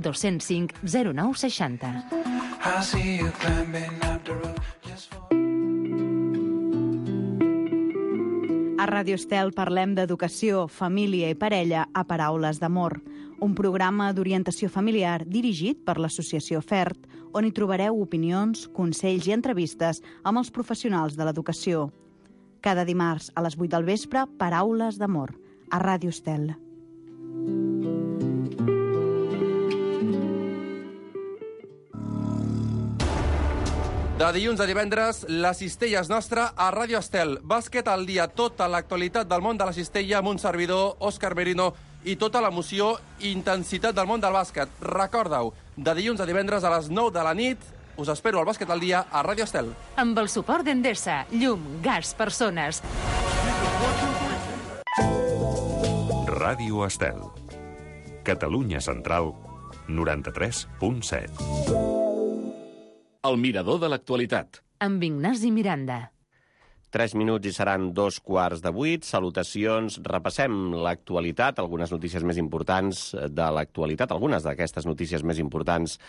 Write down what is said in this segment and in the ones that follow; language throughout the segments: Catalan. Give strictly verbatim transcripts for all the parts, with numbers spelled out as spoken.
dos cents cinc zero nou seixanta. A Ràdio Estel parlem d'educació, família i parella a Paraules d'Amor, un programa d'orientació familiar dirigit per l'Associació FERT, on hi trobareu opinions, consells i entrevistes amb els professionals de l'educació. Cada dimarts a les vuit del vespre, Paraules d'Amor, a Ràdio Estel. De dilluns a divendres, la cistella és nostra a Ràdio Estel. Bàsquet al dia, tota l'actualitat del món de la cistella amb un servidor, Òscar Merino, i tota l'emoció i intensitat del món del bàsquet. Recorda-ho, de dilluns a divendres a les nou de la nit, us espero al Bàsquet al dia a Ràdio Estel. Amb el suport d'Endesa, llum, gas, persones. Ràdio Estel. Catalunya Central, noranta-tres punt set. El mirador de l'actualitat. Amb Ignasi Miranda. Tres minuts i seran dos quarts de vuit. Salutacions. Repassem l'actualitat, algunes notícies més importants de l'actualitat, algunes d'aquestes notícies més importants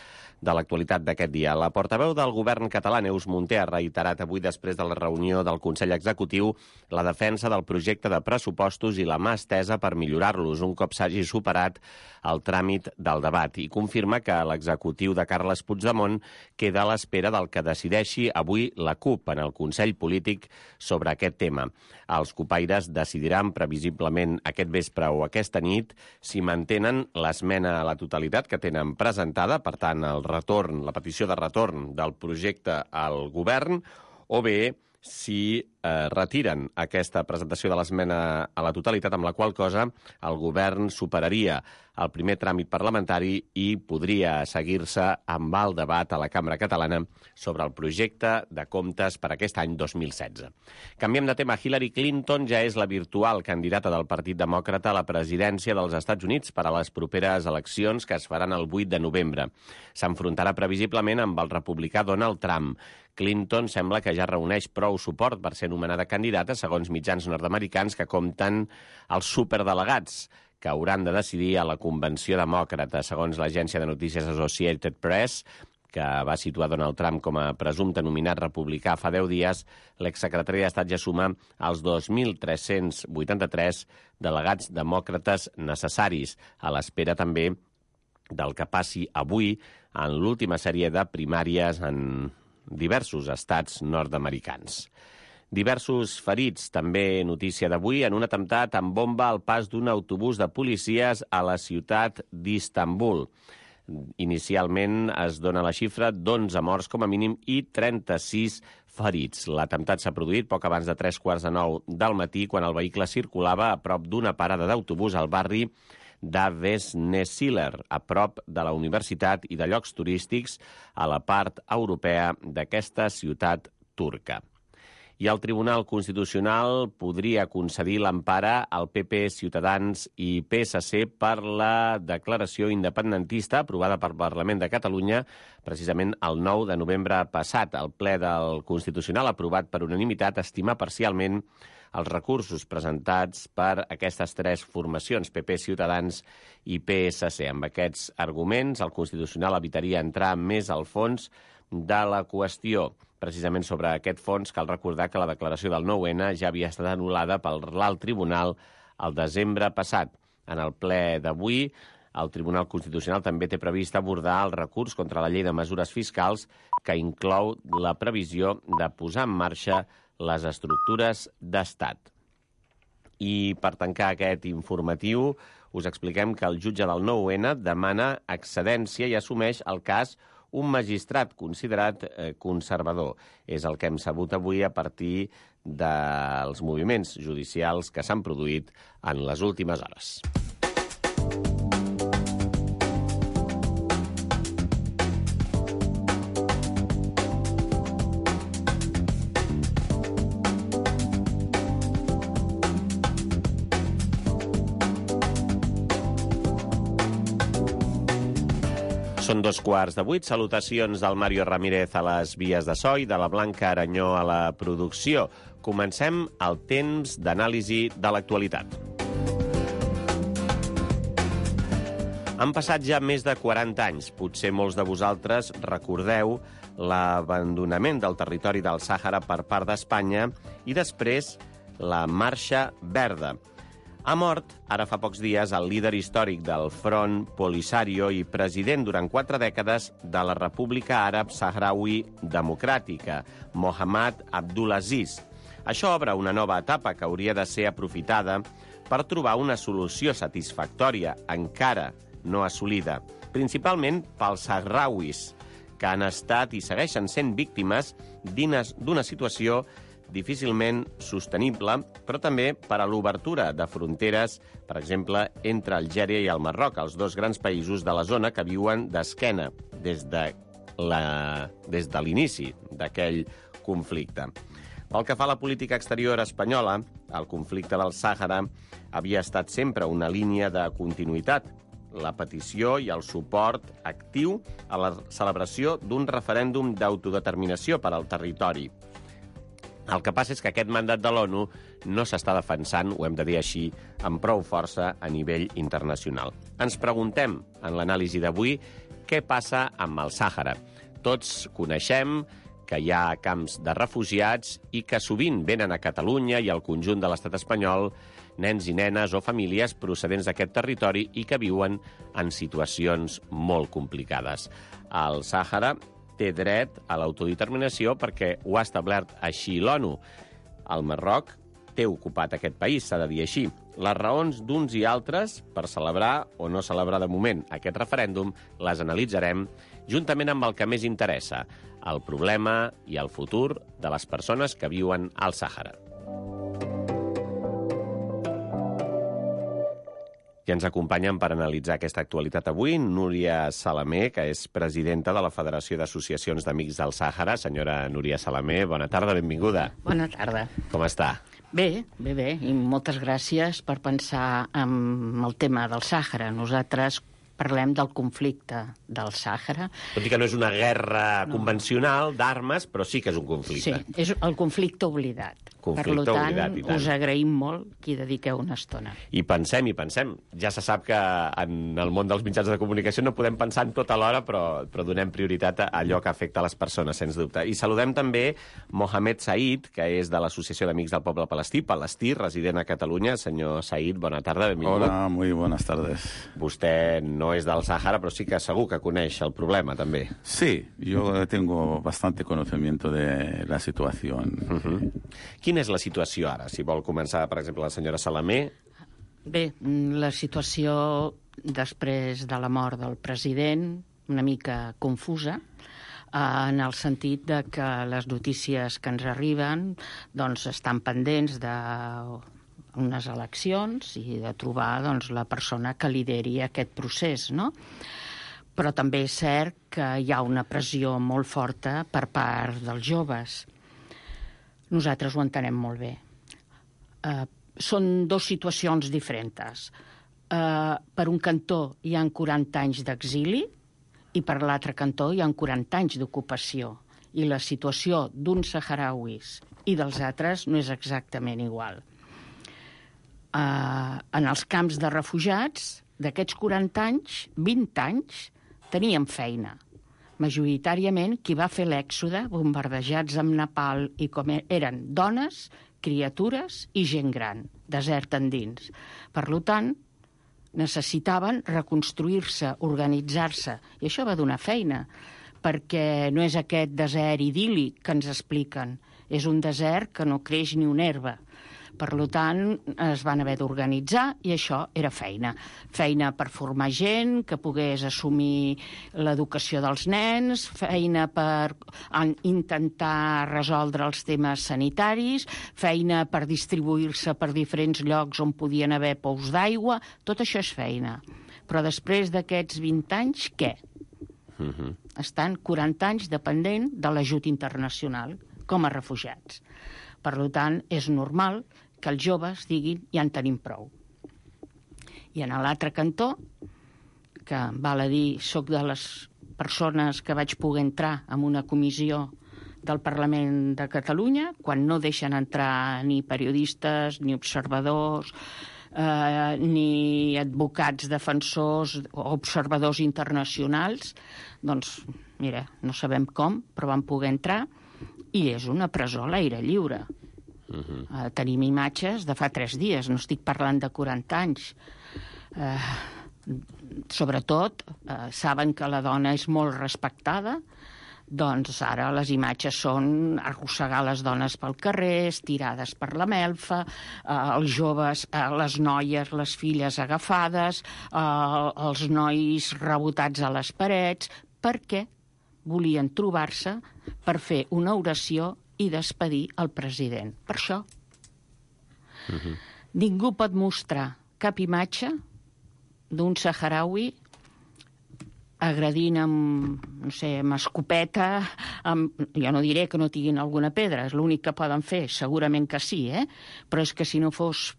de l'actualitat d'aquest dia. La portaveu del govern català, Neus Munté, ha reiterat avui, després de la reunió del Consell Executiu, la defensa del projecte de pressupostos i la mà estesa per millorar-los un cop s'hagi superat el tràmit del debat, i confirma que l'executiu de Carles Puigdemont queda a l'espera del que decideixi avui la CUP en el Consell Polític sobre aquest tema. Els cupaires decidiran previsiblement aquest vespre o aquesta nit si mantenen l'esmena a la totalitat que tenen presentada, per tant, el retorn, la petició de retorn del projecte al govern, o bé si eh, retiren aquesta presentació de l'esmena a la totalitat, amb la qual cosa el govern superaria el primer tràmit parlamentari i podria seguir-se amb el debat a la Cambra Catalana sobre el projecte de comptes per aquest any dos mil setze. Canviem de tema. Hillary Clinton ja és la virtual candidata del Partit Demòcrata a la presidència dels Estats Units per a les properes eleccions que es faran el vuit de novembre. S'enfrontarà previsiblement amb el republicà Donald Trump. Clinton sembla que ja reuneix prou suport per ser nomenada candidata, segons mitjans nord-americans que compten els superdelegats que hauran de decidir a la Convenció Demòcrata. Segons l'agència de notícies Associated Press, que va situar Donald Trump com a presumpte nominat republicà fa deu dies, l'exsecretari d'Estat ja suma els dos mil tres-cents vuitanta-tres delegats demòcrates necessaris, a l'espera també del que passi avui en l'última sèrie de primàries en diversos estats nord-americans. Diversos ferits, també notícia d'avui, en un atemptat amb bomba al pas d'un autobús de policies a la ciutat d'Istanbul. Inicialment es dona la xifra d'onze morts com a mínim i trenta-sis ferits. L'atemptat s'ha produït poc abans de tres quarts de nou del matí, quan el vehicle circulava a prop d'una parada d'autobús al barri d'Avesnesiller, a prop de la universitat i de llocs turístics a la part europea d'aquesta ciutat turca. I el Tribunal Constitucional podria concedir l'empara al P P, Ciutadans i P S C per la declaració independentista aprovada pel Parlament de Catalunya precisament el nou de novembre passat. El ple del Constitucional, aprovat per unanimitat, estima parcialment els recursos presentats per aquestes tres formacions, P P, Ciutadans i P S C. Amb aquests arguments, el Constitucional evitaria entrar més al fons de la qüestió. Precisament sobre aquest fons, cal recordar que la declaració del nou ene ja havia estat anul·lada pel l'alt tribunal el desembre passat. En el ple d'avui, el Tribunal Constitucional també té previst abordar el recurs contra la llei de mesures fiscals, que inclou la previsió de posar en marxa les estructures d'estat. I per tancar aquest informatiu, us expliquem que el jutge del nou ene demana excedència i assumeix el cas un magistrat considerat eh, conservador. És el que hem sabut avui a partir dels moviments judicials que s'han produït en les últimes hores. Són dos quarts de vuit. Salutacions del Mario Ramírez a les vies de so i de la Blanca Aranyó a la producció. Comencem el temps d'anàlisi de l'actualitat. Han passat ja més de quaranta anys. Potser molts de vosaltres recordeu l'abandonament del territori del Sàhara per part d'Espanya i després la Marxa Verda. Ha mort, ara fa pocs dies, el líder històric del Front Polisario i president durant quatre dècades de la República Àrab Sahraoui Democràtica, Mohammad Abdulaziz. Això obre una nova etapa que hauria de ser aprofitada per trobar una solució satisfactòria, encara no assolida, principalment pels sahrauis, que han estat i segueixen sent víctimes d'una situació difícilment sostenible, però també per a l'obertura de fronteres, per exemple, entre Algèria i el Marroc, els dos grans països de la zona que viuen d'esquena des de la, des de l'inici d'aquell conflicte. Pel que fa a la política exterior espanyola, el conflicte del Sàhara havia estat sempre una línia de continuïtat, la petició i el suport actiu a la celebració d'un referèndum d'autodeterminació per al territori. El que passa és que aquest mandat de l'ONU no s'està defensant, ho hem de dir així, amb prou força a nivell internacional. Ens preguntem, en l'anàlisi d'avui, què passa amb el Sàhara. Tots coneixem que hi ha camps de refugiats i que sovint venen a Catalunya i al conjunt de l'estat espanyol nens i nenes o famílies procedents d'aquest territori i que viuen en situacions molt complicades. El Sàhara té dret a l'autodeterminació perquè ho ha establert així l'ONU. El Marroc té ocupat aquest país, s'ha de dir així. Les raons d'uns i altres per celebrar o no celebrar de moment aquest referèndum les analitzarem juntament amb el que més interessa, el problema i el futur de les persones que viuen al Sàhara. I ens acompanyen per analitzar aquesta actualitat avui Núria Salamé, que és presidenta de la Federació d'Associacions d'Amics del Sàhara. Senyora Núria Salamé, bona tarda, benvinguda. Bona tarda. Com està? Bé, bé, bé, i moltes gràcies per pensar en el tema del Sàhara. Nosaltres parlem del conflicte del Sàhara. Tot i que no és una guerra no. convencional d'armes, però sí que és un conflicte. Sí, és el conflicte oblidat. Conflicte per tant, oblidat, i tant. Us agraïm molt que hi dediqueu una estona. I pensem, i pensem. Ja se sap que en el món dels mitjans de comunicació no podem pensar en tot alhora, però, però donem prioritat a allò que afecta les persones, sens dubte. I saludem també Mohamed Said, que és de l'Associació d'Amics del Poble Palestí, Palestí, resident a Catalunya. Senyor Said, bona tarda, benvingut. Hola, muy buenas tardes. Vostè no és del Sàhara, però sí que segur que coneix el problema, també. Sí, yo tengo bastante conocimiento de la situación. Uh-huh. Quina és la situació ara? Si vol començar, per exemple, la senyora Salamé. Bé, la situació després de la mort del president, una mica confusa, en el sentit de que les notícies que ens arriben doncs, estan pendents de unes eleccions i de trobar doncs, la persona que lideri aquest procés, no? Però també és cert que hi ha una pressió molt forta per part dels joves. Nosaltres ho entenem molt bé. Uh, són dues situacions diferents. Uh, per un cantó hi ha quaranta anys d'exili i per l'altre cantó hi ha quaranta anys d'ocupació. I la situació d'uns saharauis i dels altres no és exactament igual. Uh, en els camps de refugiats, d'aquests quaranta anys, vint anys, tenien feina. Majoritàriament, qui va fer l'èxode, bombardejats amb napalm i com eren dones, criatures i gent gran, desert endins. Per tant, necessitaven reconstruir-se, organitzar-se, i això va donar feina, perquè no és aquest desert idíl·lic que ens expliquen, és un desert que no creix ni una herba. Per tant, es van haver d'organitzar i això era feina. Feina per formar gent que pogués assumir l'educació dels nens, feina per intentar resoldre els temes sanitaris, feina per distribuir-se per diferents llocs on podien haver pous d'aigua, tot això és feina. Però després d'aquests vint anys, què? Uh-huh. Estan quaranta anys dependent de l'ajut internacional com a refugiats. Per tant, és normal que els joves diguin ja en tenim prou. I en l'altre cantó, que val a dir, soc de les persones que vaig poder entrar en una comissió del Parlament de Catalunya, quan no deixen entrar ni periodistes, ni observadors, eh, ni advocats defensors o observadors internacionals. Doncs, mira, no sabem com, però van poder entrar, i és una presó a l'aire lliure. Uh-huh. Eh, tenim imatges de fa tres dies, no estic parlant de quaranta anys. Eh, sobretot, eh, saben que la dona és molt respectada, doncs ara les imatges són arrossegar les dones pel carrer, estirades per la melfa, eh, els joves, eh, les noies, les filles agafades, eh, els nois rebotats a les parets, perquè volien trobar-se per fer una oració i despedir el president. Per això. Uh-huh. Ningú pot mostrar cap imatge d'un saharaui agredint amb, no sé, amb escopeta, amb, jo no diré que no tinguin alguna pedra, és l'únic que poden fer, segurament que sí, eh? Però és que si no fos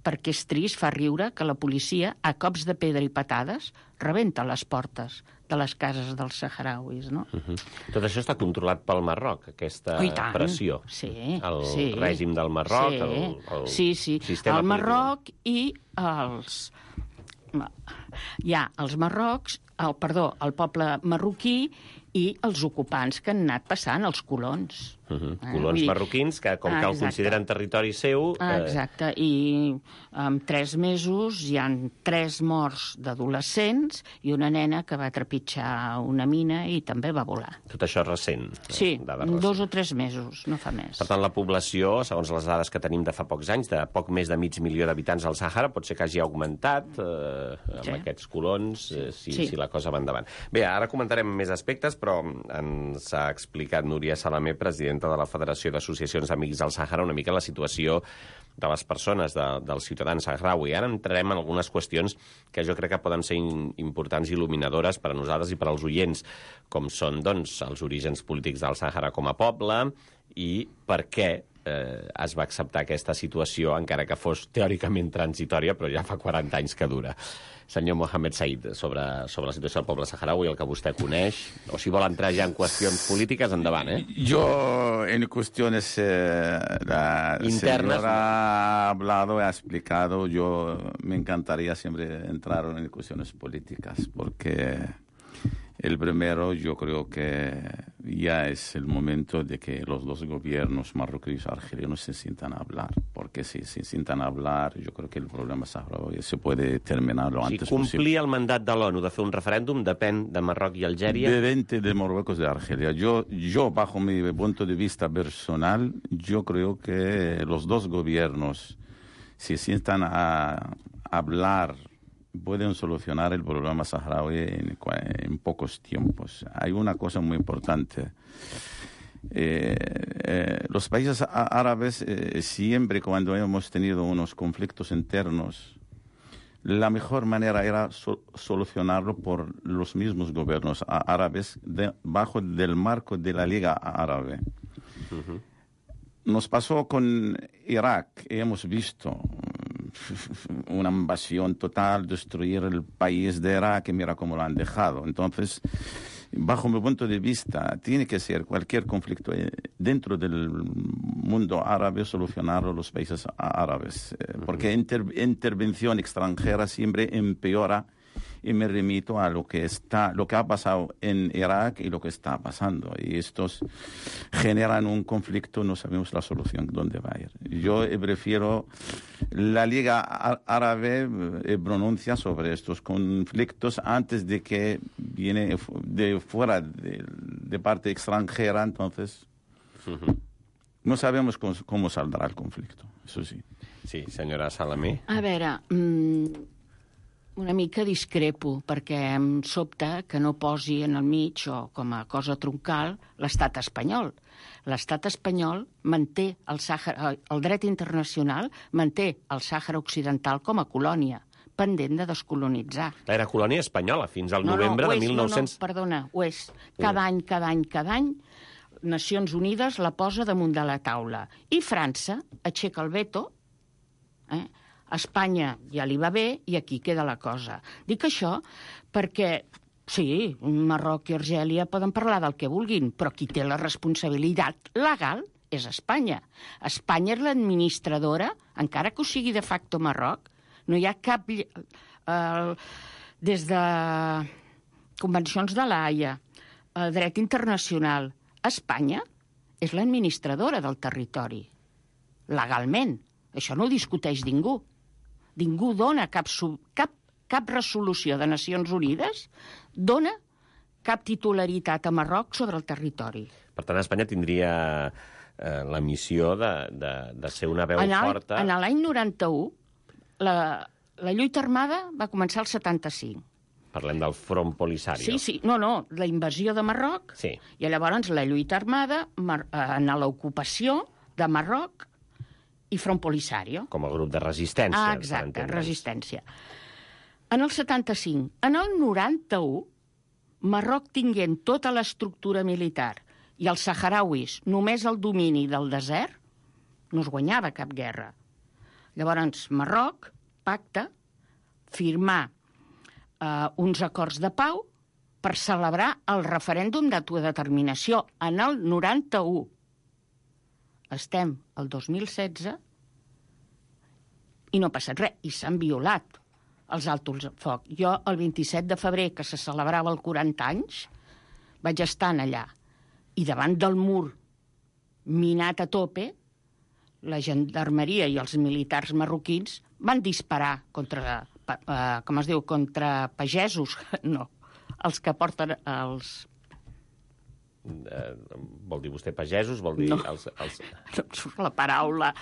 perquè és trist, fa riure que la policia, a cops de pedra i patades, rebenta les portes de les cases dels saharauis, no? Uh-huh. Tot això està controlat pel Marroc, aquesta oh, pressió. Sí, el sí. règim del Marroc, sí. el, el sí, sí. sistema el Marroc polític. I els... Hi ha els marrocs, el, perdó, el poble marroquí i els ocupants que han anat passant, els colons. Uh-huh. Eh? Colons dir... marroquins que, com ah, que el consideren territori seu... Ah, exacte, eh... i en tres mesos hi han tres morts d'adolescents i una nena que va trepitjar una mina i també va volar. Tot això recent? Sí, dos o tres mesos, no fa més. Per tant, la població, segons les dades que tenim de fa pocs anys, de poc més de mig milió d'habitants al Sàhara, pot ser que hagi augmentat eh, amb sí. aquests colons, eh, si, sí. si la cosa va endavant. Bé, ara comentarem més aspectes, però ens ha explicat Núria Salamé, presidenta de la Federació d'Associacions d'Amics del Sàhara, una mica la situació de les persones, de, dels ciutadans saharaui. Ara entrarem en algunes qüestions que jo crec que poden ser in, importants i il·luminadores per a nosaltres i per als oients, com són, doncs, els orígens polítics del Sàhara com a poble i per què eh, es va acceptar aquesta situació, encara que fos teòricament transitòria, però ja fa quaranta anys que dura. Senyor Mohamed Said, sobre, sobre la situació del poble saharaui, el que vostè coneix, o si vol entrar ja en qüestions polítiques, endavant, eh? Jo, en qüestions eh, la internas señora ha hablado, ha explicado, yo me encantaría siempre entrar en cuestiones políticas, porque el primero yo creo que ya es el momento de que los dos gobiernos marroquíes y argelinos se sientan a hablar, porque si se sientan a hablar, yo creo que el problema saharaui se puede terminar lo si antes posible. Si complir el mandat de l'ONU de fer un referèndum depèn de Marroc i Algèria? Depende de Marruecos y de Argelia. Yo, yo, bajo mi punto de vista personal, yo creo que los dos gobiernos, si se sientan a hablar, pueden solucionar el problema saharaui en, en pocos tiempos. Hay una cosa muy importante. Eh, eh, los países árabes eh, siempre cuando hemos tenido unos conflictos internos, la mejor manera era so solucionarlo por los mismos gobiernos árabes de, bajo del marco de la Liga Árabe. Uh-huh. Nos pasó con Irak, hemos visto una invasión total, destruir el país de Irak, y mira cómo lo han dejado. Entonces, bajo mi punto de vista, tiene que ser cualquier conflicto dentro del mundo árabe solucionarlo los países árabes, porque inter intervención extranjera siempre empeora. Y me remito a lo que está, lo que ha pasado en Irak y lo que está pasando. Y estos generan un conflicto, no sabemos la solución dónde va a ir. Yo prefiero la Liga Árabe eh, pronuncia sobre estos conflictos antes de que viene de fuera de, de parte extranjera, entonces uh-huh. no sabemos cómo, cómo saldrá el conflicto, eso sí. Sí, senyora Salamé. A veure, mmm... una mica discrepo, perquè em sobta que no posi en el mig, o com a cosa troncal, l'estat espanyol. L'estat espanyol manté el Sàhara, el dret internacional manté el Sàhara Occidental com a colònia, pendent de descolonitzar. Era colònia espanyola fins al no, novembre no, de mil nou-cents... No, no, perdona, ho és. Cada any, cada any, cada any, Nacions Unides la posa damunt de la taula. I França aixeca el veto, eh? Espanya ja li va bé i aquí queda la cosa. Dic això perquè, sí, Marroc i Argèlia poden parlar del que vulguin, però qui té la responsabilitat legal és Espanya. Espanya és l'administradora, encara que ho sigui de facto Marroc, No hi ha cap... Eh, des de convencions de l'Haia, eh, dret internacional, Espanya és l'administradora del territori, legalment. Això no ho discuteix ningú. Ningú dona cap, cap, cap resolució de Nacions Unides, dona cap titularitat a Marroc sobre el territori. Per tant, Espanya tindria eh, la missió de, de, de ser una veu en el, forta... En l'any noranta-u, la, la lluita armada va començar al setanta-cinc. Parlem del Front Polisario. Sí, sí. No, no, la invasió de Marroc, sí. I llavors la lluita armada en l'ocupació de Marroc i Front Polisario. Com a grup de resistència. Ah, exacte, resistència. En el setanta-cinc. En el noranta-u, Marroc tinguent tota l'estructura militar i els saharauis només el domini del desert, no es guanyava cap guerra. Llavors, Marroc pacta firmar Uh, uns acords de pau per celebrar el referèndum d'autodeterminació en el noranta-u. Estem al dos mil setze i no ha passat res, i s'han violat els altos foc. Jo, el vint-i-set de febrer, que se celebrava el quaranta anys, vaig estar allà, i davant del mur minat a tope, la gendarmeria i els militars marroquins van disparar contra... Uh, com es diu, contra pagesos, no, els que porten els... Uh, vol dir vostè pagesos? Vol dir no. els, els... no em surt la paraula.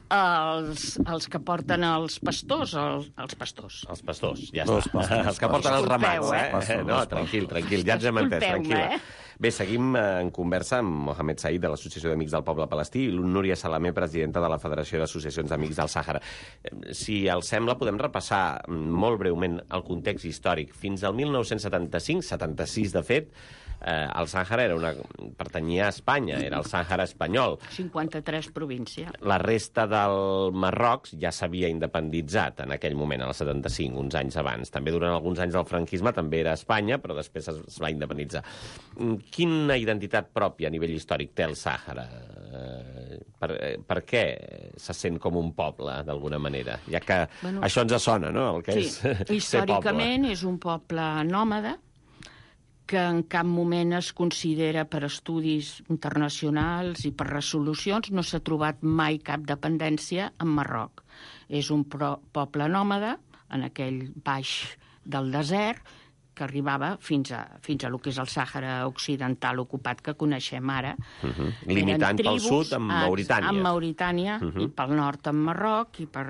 Els, els que porten els pastors, els, els pastors. Els pastors, ja està. Els, pastors, els que porten els ramats, eh? eh? No, tranquil, tranquil, ja ens hem entès, tranquil·la. Eh? Bé, seguim en conversa amb Mohamed Said, de l'Associació d'Amics del Poble Palestí, i Núria Salamé, presidenta de la Federació d'Associacions d'Amics del Sàhara. Si els sembla, podem repassar molt breument el context històric. Fins al mil nou-cents setanta-cinc, setanta-sis de fet, eh, el Sàhara era una... pertanyia a Espanya, era el Sàhara espanyol. cinquanta-tres província. La resta del Marroc ja s'havia independitzat en aquell moment, al setanta-cinc, uns anys abans. També durant alguns anys del franquisme també era Espanya, però després es va independitzar. Quina identitat pròpia a nivell històric té el Sàhara? Eh, per, per què se sent com un poble, d'alguna manera? Ja que bueno, això ens sona, no?, el que sí, és ser poble. Històricament és un poble nòmada que en cap moment es considera per estudis internacionals i per resolucions, no s'ha trobat mai cap dependència en Marroc. És un pro, poble nòmada en aquell baix del desert que arribava fins a, fins a lo que és el Sàhara occidental ocupat que coneixem ara. Uh-huh. Limitant tribus, pel sud amb Mauritània. Amb Mauritània, uh-huh. I pel nord amb Marroc, i per,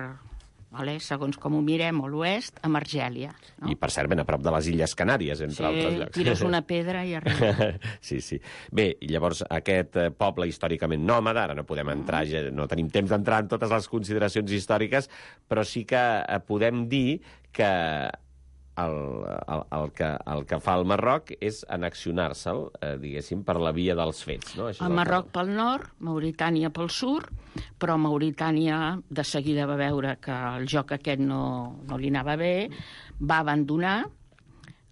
vale, segons com ho mirem, a l'oest, amb Argèlia. No? I, per cert, ben a prop de les Illes Canàries, entre sí, altres llocs. Sí, tires una pedra i arriba. sí, sí. Bé, llavors, aquest poble històricament nòmada, ara no podem entrar, no tenim temps d'entrar en totes les consideracions històriques, però sí que podem dir que El, el, el, que, el que fa el Marroc és annexionar-se'l, eh, diguéssim, per la via dels fets. No? El Marroc que... pel nord, Mauritània pel sud, però Mauritània de seguida va veure que el joc aquest no, no li anava bé, va abandonar,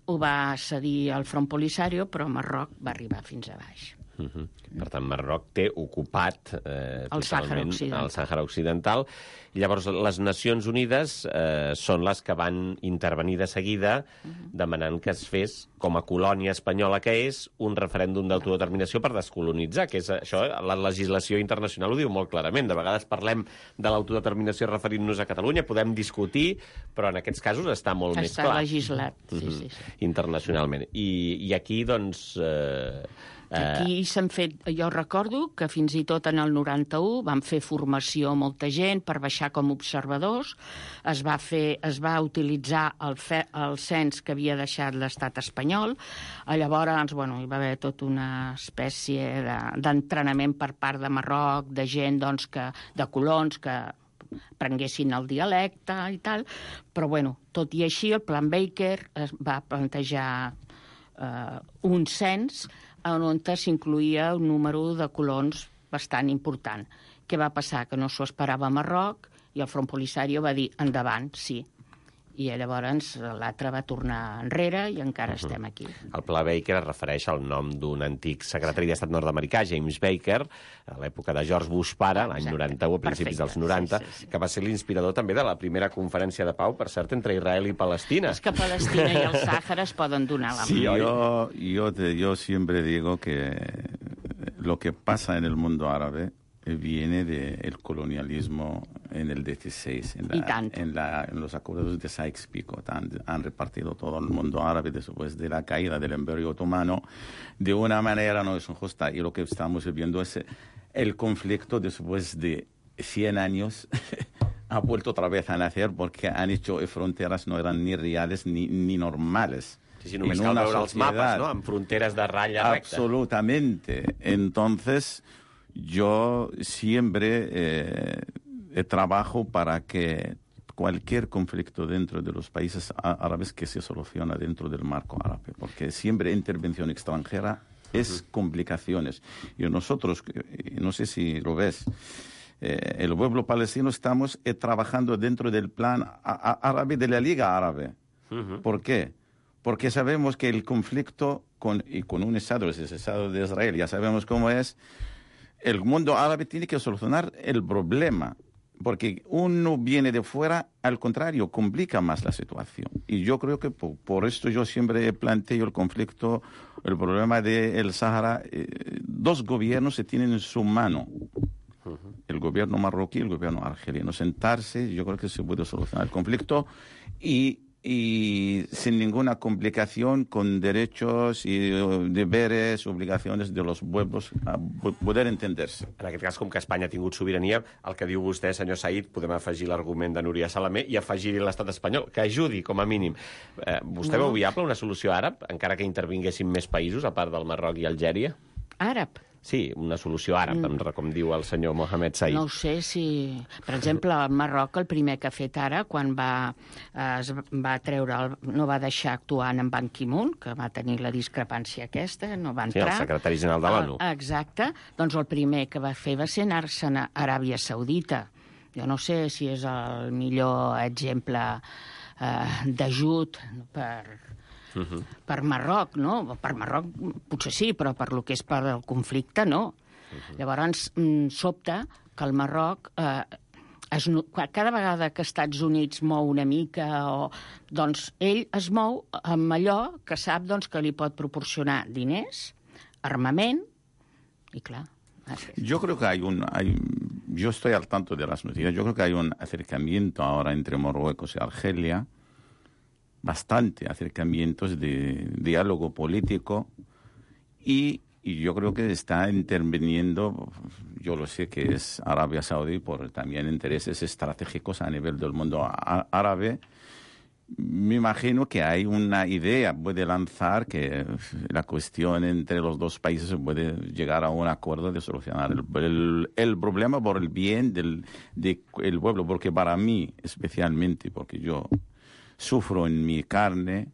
ho va cedir al Front Polisario, però Marroc va arribar fins a baix. Uh-huh. Per tant, Marroc té ocupat eh, el Sàhara Occidental. el Sàhara Occidental. I llavors les Nacions Unides eh, són les que van intervenir de seguida uh-huh. demanant que es fes, com a colònia espanyola que és, un referèndum d'autodeterminació per descolonitzar, que és això, la legislació internacional ho diu molt clarament. De vegades parlem de l'autodeterminació referint-nos a Catalunya, podem discutir, però en aquests casos està molt està més clar. Està legislat, sí, uh-huh. sí, sí. Internacionalment. I, i aquí, doncs... Eh, Aquí s'han fet, jo recordo que fins i tot en el noranta-u van fer formació molta gent per baixar com observadors, es va, fer, es va utilitzar el, fe, el cens que havia deixat l'estat espanyol, llavors bueno, hi va haver tota una espècie de, d'entrenament per part de Marroc, de gent doncs, que, de colons que prenguessin el dialecte i tal, però bueno, tot i així el Plan Baker es va plantejar eh, un cens on s'incluïa un número de colons bastant important. Què va passar? Que no s'ho esperava a Marroc i el Front Polisario va dir endavant, sí. I llavors l'altre va tornar enrere i encara uh-huh. estem aquí. El Pla Baker es refereix al nom d'un antic secretari d'Estat nord-americà, James Baker, a l'època de George Bush pare, l'any noranta-u, a principis Perfecte. dels noranta, sí, sí, sí. que va ser l'inspirador també de la primera conferència de pau, per cert, entre Israel i Palestina. És que Palestina i el Sàhara es poden donar la mà. Sí, yo, yo, te, yo siempre digo que lo que pasa en el mundo árabe viene del colonialismo en el dieciséis, en, la, en, la, en los acuerdos de Sykes-Picot. Han, han repartido todo el mundo árabe después de la caída del Imperio Otomano de una manera no es injusta. Y lo que estamos viendo es el conflicto después de cien años ha vuelto otra vez a nacer porque han hecho fronteras no eran ni reales ni, ni normales. Sí, sí, només cal veure els mapes, no?, amb fronteres de ratlla recta. Absolutamente. Entonces, yo siempre eh, trabajo para que cualquier conflicto dentro de los países árabes que se soluciona dentro del marco árabe, porque siempre intervención extranjera es uh-huh. complicaciones. Y nosotros, no sé si lo ves, eh, el pueblo palestino estamos eh, trabajando dentro del plan árabe de la Liga Árabe. Uh-huh. ¿Por qué? Porque sabemos que el conflicto con, y con un Estado, es el Estado de Israel, ya sabemos cómo es, el mundo árabe tiene que solucionar el problema, porque uno viene de fuera, al contrario, complica más la situación. Y yo creo que por, por esto yo siempre planteo el conflicto, el problema del Sahara. Eh, dos gobiernos se tienen en su mano, uh-huh. el gobierno marroquí y el gobierno argelino. Sentarse, yo creo que se puede solucionar el conflicto y... y sin ninguna complicación, con derechos y deberes, obligacions de los pueblos a poder entenderse. En aquest cas, com que Espanya ha tingut sobirania, el que diu vostè, senyor Said, podem afegir l'argument de Núria Salamé i afegir-hi l'estat espanyol, que ajudi, com a mínim. Eh, vostè no. veu viable una solució àrab, encara que intervinguessin més països, a part del Marroc i Algèria? Àrab? Sí, una solució àrab, mm. com diu el senyor Mohamed Said. No ho sé si... Per exemple, el Marroc, el primer que ha fet ara, quan va, es va treure... El, no va deixar actuar en Ban Ki-moon, que va tenir la discrepància aquesta, no va entrar... Sí, el secretari general de l'ONU. Exacte. Doncs el primer que va fer va ser anar-se'n a Aràbia Saudita. Jo no sé si és el millor exemple eh, d'ajut per... Uh-huh. per Marroc, no? Per Marroc potser sí, però per lo que és per el conflicte, no. Uh-huh. Llavors, sobta que el Marroc, eh, es, cada vegada que Estats Units mou una mica, o, doncs ell es mou amb allò que sap doncs, que li pot proporcionar diners, armament, i clar... Yo creo que hay un... Hay, yo estoy al tanto de las noticias. Yo creo que hay un acercamiento ahora entre Marruecos y Argelia, bastante acercamientos de diálogo político y, y yo creo que está interviniendo, yo lo sé que es Arabia Saudí por también intereses estratégicos a nivel del mundo árabe. Me imagino que hay una idea, puede lanzar que la cuestión entre los dos países puede llegar a un acuerdo de solucionar el, el, el problema por el bien del de el pueblo, porque para mí especialmente, porque yo sufro en mi carne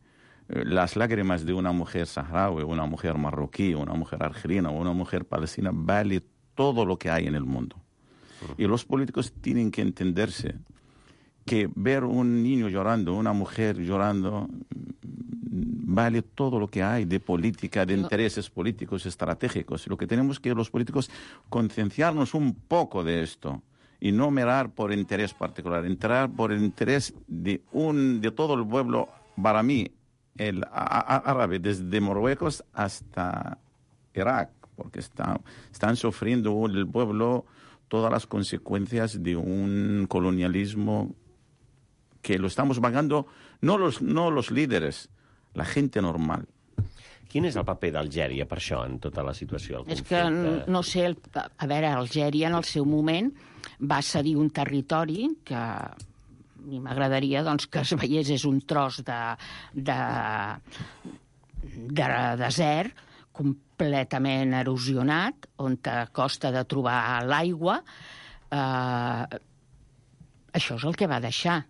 eh, las lágrimas de una mujer saharaui, una mujer marroquí, una mujer argelina, una mujer palestina, vale todo lo que hay en el mundo. Uh-huh. Y los políticos tienen que entenderse que ver un niño llorando, una mujer llorando, vale todo lo que hay de política, de intereses políticos estratégicos. Lo que tenemos que los políticos concienciarnos un poco de esto. Y no mirar por interés particular, entrar por el interés de un de todo el pueblo, para mí, el árabe, desde Marruecos hasta Irak, porque está, están sufriendo el pueblo todas las consecuencias de un colonialismo que lo estamos pagando no los, no los líderes, la gente normal. Quin és el paper d'Algèria per això, en tota la situació? És que, no sé, el, a veure, Algèria en el seu moment va cedir un territori que a mi m'agradaria doncs, que es veiés és un tros de, de, de desert completament erosionat, on a costa de trobar l'aigua. Eh, això és el que va deixar.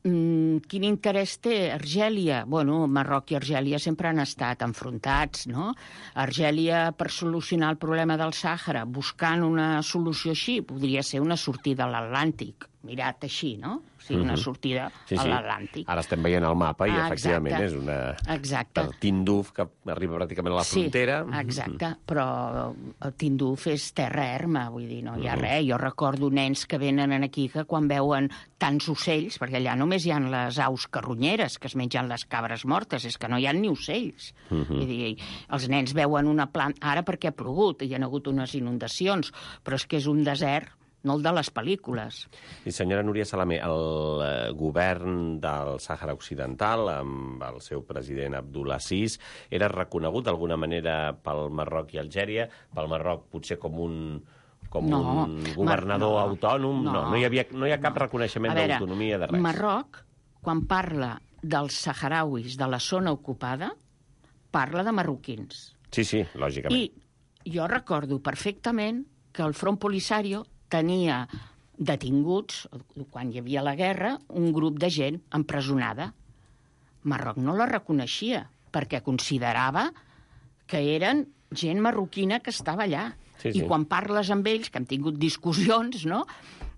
Mm, quin interès té Argèlia? Bueno, Marroc i Argèlia sempre han estat enfrontats, no? Argèlia, per solucionar el problema del Sàhara, buscant una solució així, podria ser una sortida a l'Atlàntic, mirat així, no? o sigui, una sortida sí, sí. a l'Atlàntic. Ara estem veient el mapa i, ah, efectivament, exacte. és una... Exacte. Per Tinduf, que arriba pràcticament a la frontera. Sí, exacte, però el Tinduf és terra erma, vull dir, no hi ha res. Jo recordo nens que venen aquí que quan veuen tants ocells, perquè allà només hi ha les aus carronyeres que es mengen les cabres mortes, és que no hi ha ni ocells. Uh -huh. Vull dir, els nens veuen una planta... Ara perquè ha plogut i hi ha hagut unes inundacions, però és que és un desert, no el de les pel·lícules. I senyora Núria Salamé, el eh, govern del Sàhara Occidental, amb el seu president Abdulaziz, era reconegut d'alguna manera pel Marroc i Algèria, pel Marroc potser com un... com no, un governador no, autònom? No, no, no, hi, havia, no hi ha cap no. reconeixement veure, d'autonomia de res. Marroc, quan parla dels saharauis de la zona ocupada, parla de marroquins. Sí, sí, lògicament. I jo recordo perfectament que el Front Polisario tenia detinguts, quan hi havia la guerra, un grup de gent empresonada. Marroc no la reconeixia, perquè considerava que eren gent marroquina que estava allà. Sí, sí. I quan parles amb ells, que hem tingut discussions, no?,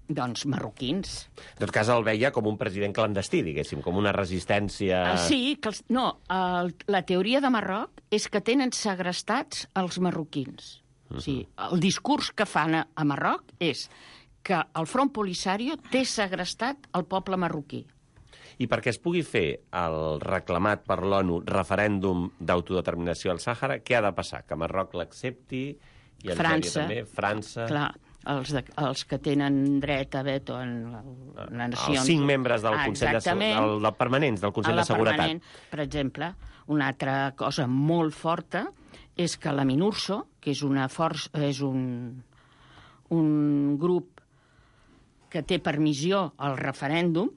doncs marroquins. En tot cas, el veia com un president clandestí, diguéssim, com una resistència... Sí, que els, no, el, la teoria de Marroc és que tenen segrestats els marroquins. Uh -huh. O sigui, el discurs que fan a, a Marroc és que el Front Polisario té segrestat el poble marroquí. I perquè es pugui fer el reclamat per l'ONU referèndum d'autodeterminació al Sàhara, què ha de passar? Que Marroc l'accepti i Algèria França, també? França... Clar, els, de, els que tenen dret a veto en les nacions... Els cinc membres del Consell de, del, del permanents del Consell de Seguretat. Permanent. Per exemple, una altra cosa molt forta és que la MINURSO, que és, una força, és un, un grup que té per missió el referèndum,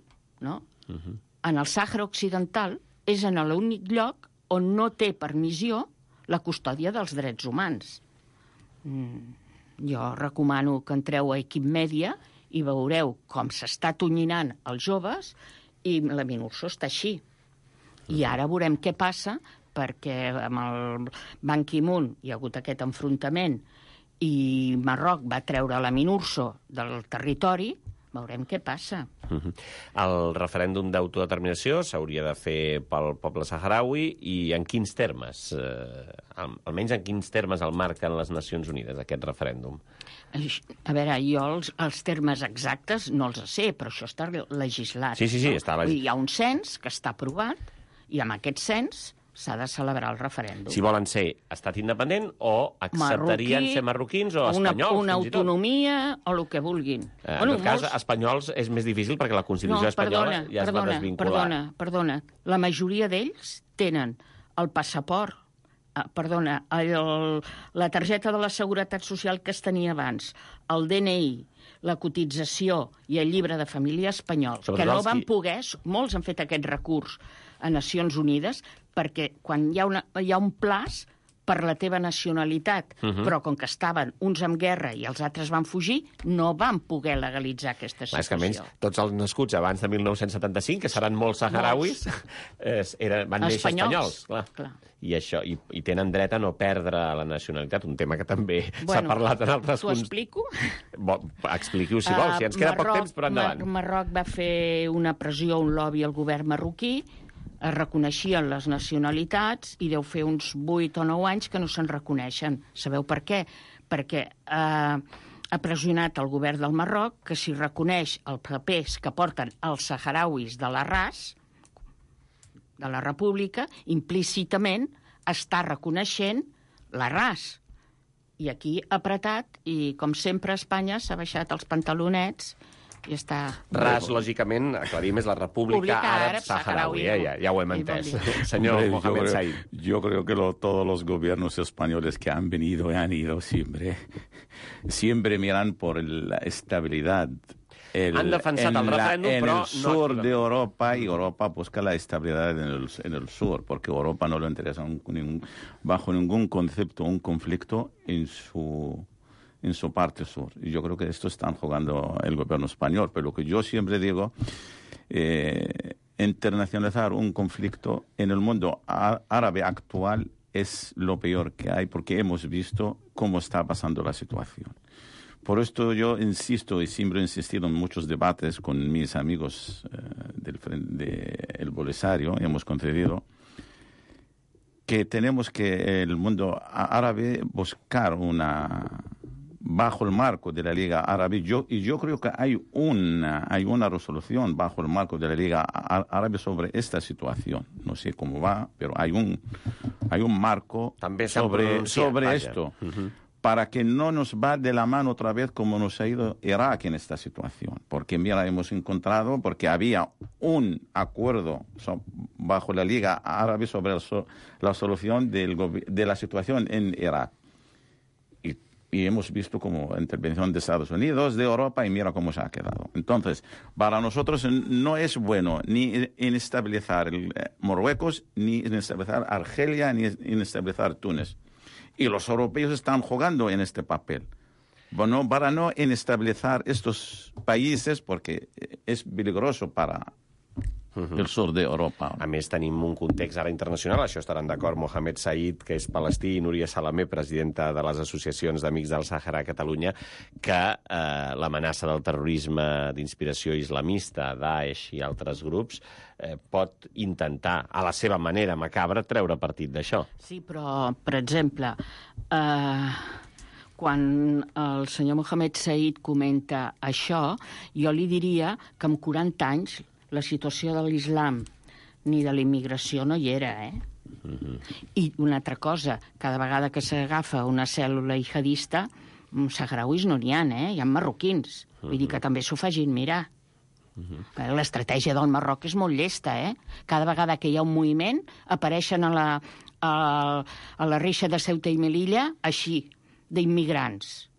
no? Uh-huh. En el Sàhara Occidental és en l'únic lloc on no té per missió la custòdia dels drets humans. Mm, jo recomano que entreu a Equip Mèdia i veureu com s'està tonyinant els joves i la MINURSO està així. I ara veurem què passa, perquè amb el Ban Ki-moon hi ha hagut aquest enfrontament i Marroc va treure la MINURSO del territori, veurem què passa. Uh-huh. El referèndum d'autodeterminació s'hauria de fer pel poble saharaui i en quins termes? Eh, almenys en quins termes el marquen les Nacions Unides, aquest referèndum? A veure, jo els, els termes exactes no els sé, però això està legislat. Sí, sí, sí, no? està legislat. Hi ha un cens que està aprovat i amb aquest cens s'ha de celebrar el referèndum. Si volen ser estat independent o acceptarien Marroquí, ser marroquins o una, espanyols, una fins i tot. autonomia o el que vulguin. Eh, en tot cas, molts... espanyols és més difícil perquè la Constitució no, espanyola perdona, ja es perdona, va desvincular. Perdona, perdona. La majoria d'ells tenen el passaport, eh, perdona, el, la targeta de la Seguretat Social que es tenia abans, el D N I, la cotització i el llibre de família espanyol, Sobretot que no van qui... poder, molts han fet aquest recurs a Nacions Unides, perquè quan hi ha, una, hi ha un plaç per la teva nacionalitat, uh -huh. però com que estaven uns en guerra i els altres van fugir, no van poder legalitzar aquesta situació. És que almenys tots els nascuts abans de mil nou-cents setanta-cinc, que seran molts saharauis, molts. Era, van néixer espanyols. espanyols clar. Clar. I, això, i, I tenen dret a no perdre la nacionalitat, un tema que també bueno, s'ha parlat en altres... T'ho explico? Bo, expliqui-ho si vols, si ens queda Marroc, poc temps, però endavant. Mar Marroc va fer una pressió, un lobby al govern marroquí, es reconeixien les nacionalitats i deu fer uns vuit o nou anys que no se'n reconeixen. Sabeu per què? Perquè eh, ha pressionat el govern del Marroc que si reconeix els papers que porten els saharauis de la R A S, de la República, implícitament està reconeixent la R A S. I aquí ha apretat i, com sempre, Espanya s'ha baixat els pantalonets i està... R A S, lògicament, aclarim, és la República Àrab Saharaui, eh? ja, ja ho hem entès. Señor Hombre, Mohamed yo creo, Said. Yo creo que lo, todos los gobiernos españoles que han venido y han ido siempre, siempre miran por la estabilidad. El, han defensat el referèndum, en però el sur no de Europa, y Europa busca la estabilidad en el, en el sur, porque Europa no le interesa un, ningún, bajo ningún concepto un conflicto en su... en su parte sur. Y yo creo que esto están jugando el gobierno español. Pero lo que yo siempre digo, eh, internacionalizar un conflicto en el mundo árabe actual es lo peor que hay, porque hemos visto cómo está pasando la situación. Por esto yo insisto y siempre he insistido en muchos debates con mis amigos eh, del de Polisario, hemos concedido que tenemos que el mundo árabe buscar una bajo el marco de la Liga Árabe, yo, y yo creo que hay una, hay una resolución bajo el marco de la Liga Árabe sobre esta situación. No sé cómo va, pero hay un, hay un marco També sobre, sobre vaja. esto, Uh-huh. para que no nos va de la mano otra vez como nos ha ido Irak en esta situación. Porque, mira, hemos encontrado, porque había un acuerdo so, bajo la Liga Árabe sobre la, so, la solución del, de la situación en Irak. Y hemos visto como intervención de Estados Unidos, de Europa, y mira cómo se ha quedado. Entonces, para nosotros no es bueno ni inestabilizar el, eh, Marruecos, ni inestabilizar Argelia, ni inestabilizar Túnez. Y los europeos están jugando en este papel. Bueno, para no inestabilizar estos países, porque es peligroso para Uh-huh. el sur d'Europa. A més, tenim un context ara internacional, això estaran d'acord Mohamed Said, que és palestí, i Núria Salamé, presidenta de les associacions d'Amics del Sàhara a Catalunya, que eh, l'amenaça del terrorisme d'inspiració islamista, Daesh i altres grups, eh, pot intentar, a la seva manera macabra, treure partit d'això. Sí, però, per exemple, eh, quan el senyor Mohamed Said comenta això, jo li diria que amb quaranta anys la situació de l'islam ni de la immigració no hi era, eh? Mm-hmm. I una altra cosa, cada vegada que s'agafa una cèl·lula jihadista, saharauis no n'hi ha, eh? Hi ha marroquins. Mm-hmm. Vull dir que també s'ho facin mirar. Mm-hmm. L'estratègia del Marroc és molt llesta, eh? Cada vegada que hi ha un moviment, apareixen a la, a, a la reixa de Ceuta i Melilla, així, d'immigrants.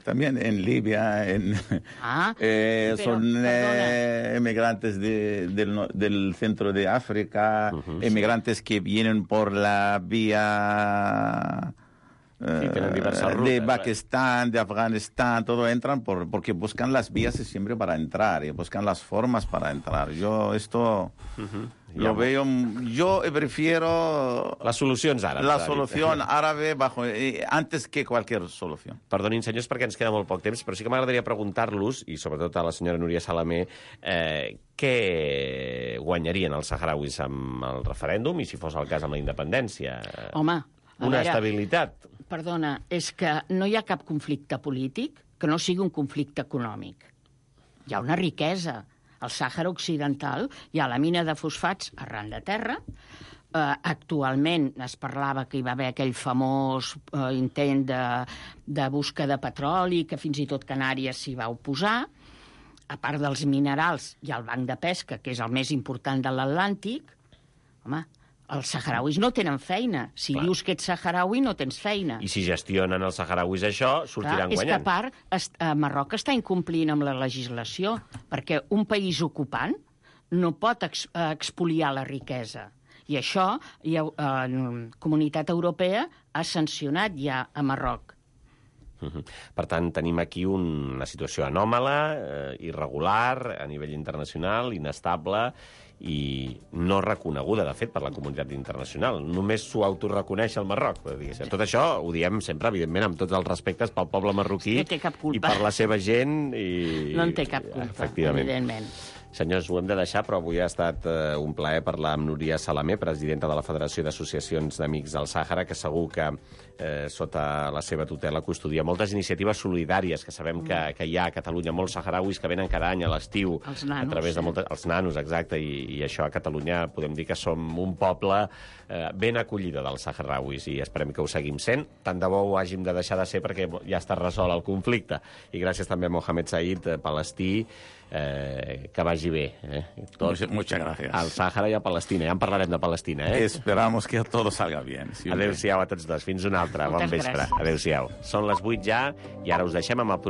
También en Libia, en, ah, eh, pero, son eh, emigrantes de, del, del centro de África, uh-huh, emigrantes sí. que vienen por la vía eh, sí, de Pakistán, de Afganistán, todo entran por, porque buscan las vías siempre para entrar y buscan las formas para entrar. Yo esto... Uh-huh. Lo veo, yo prefiero... Les solucions àrabs. La solución árabe bajo, eh, antes que cualquier solución. Perdonin, senyors, perquè ens queda molt poc temps, però sí que m'agradaria preguntar-los, i sobretot a la senyora Núria Salamé, eh, què guanyarien els saharauis amb el referèndum i, si fos el cas, amb la independència? Home, una veure, estabilitat. Perdona, és que no hi ha cap conflicte polític que no sigui un conflicte econòmic. Hi ha una riquesa. Al Sàhara Occidental hi ha la mina de fosfats arran de terra. Eh, actualment es parlava que hi va haver aquell famós eh, intent de, de busca de petroli, que fins i tot Canàries s'hi va oposar. A part dels minerals, hi ha el banc de pesca, que és el més important de l'Atlàntic. Home, els saharauis no tenen feina. Si Clar. dius que ets saharaui, no tens feina. I si gestionen els saharauis això, sortiran Clar, guanyant. És que, a part, est, eh, Marroc està incomplint amb la legislació, perquè un país ocupant no pot ex, eh, expoliar la riquesa. I això, ja, eh, la Comunitat Europea ha sancionat ja a Marroc. Uh-huh. Per tant, tenim aquí un, una situació anòmala, eh, irregular, a nivell internacional, inestable i no reconeguda, de fet, per la comunitat internacional. Només s'ho autoreconeix el Marroc. Tot això ho diem sempre, evidentment, amb tots els respectes pel poble marroquí no té cap culpa. I per la seva gent. I... No en té cap culpa, evidentment. Senyors, ho hem de deixar, però avui ha estat eh, un plaer parlar amb Núria Salamé, presidenta de la Federació d'Associacions d'Amics del Sàhara, que segur que eh, sota la seva tutela custodia moltes iniciatives solidàries que sabem que, que hi ha a Catalunya, molts saharauis que venen cada any a l'estiu a través de moltes... Els nanos, exacte, i, i això a Catalunya podem dir que som un poble eh, ben acollidor dels saharauis i esperem que ho seguim sent. Tant de bo ho hàgim de deixar de ser perquè ja està resolt el conflicte. I gràcies també a Mohamed Said, eh, palestí, Eh, que vagi bé. Eh? Tot, Muchas gracias. Al Sàhara i a Palestina. Ja en parlarem de Palestina. Eh? Esperamos que todo salga bien. Adéu-siau a tots dos. Fins una altra. Bon vespre. Adéu-siau. Són les vuit ja i ara us deixem amb el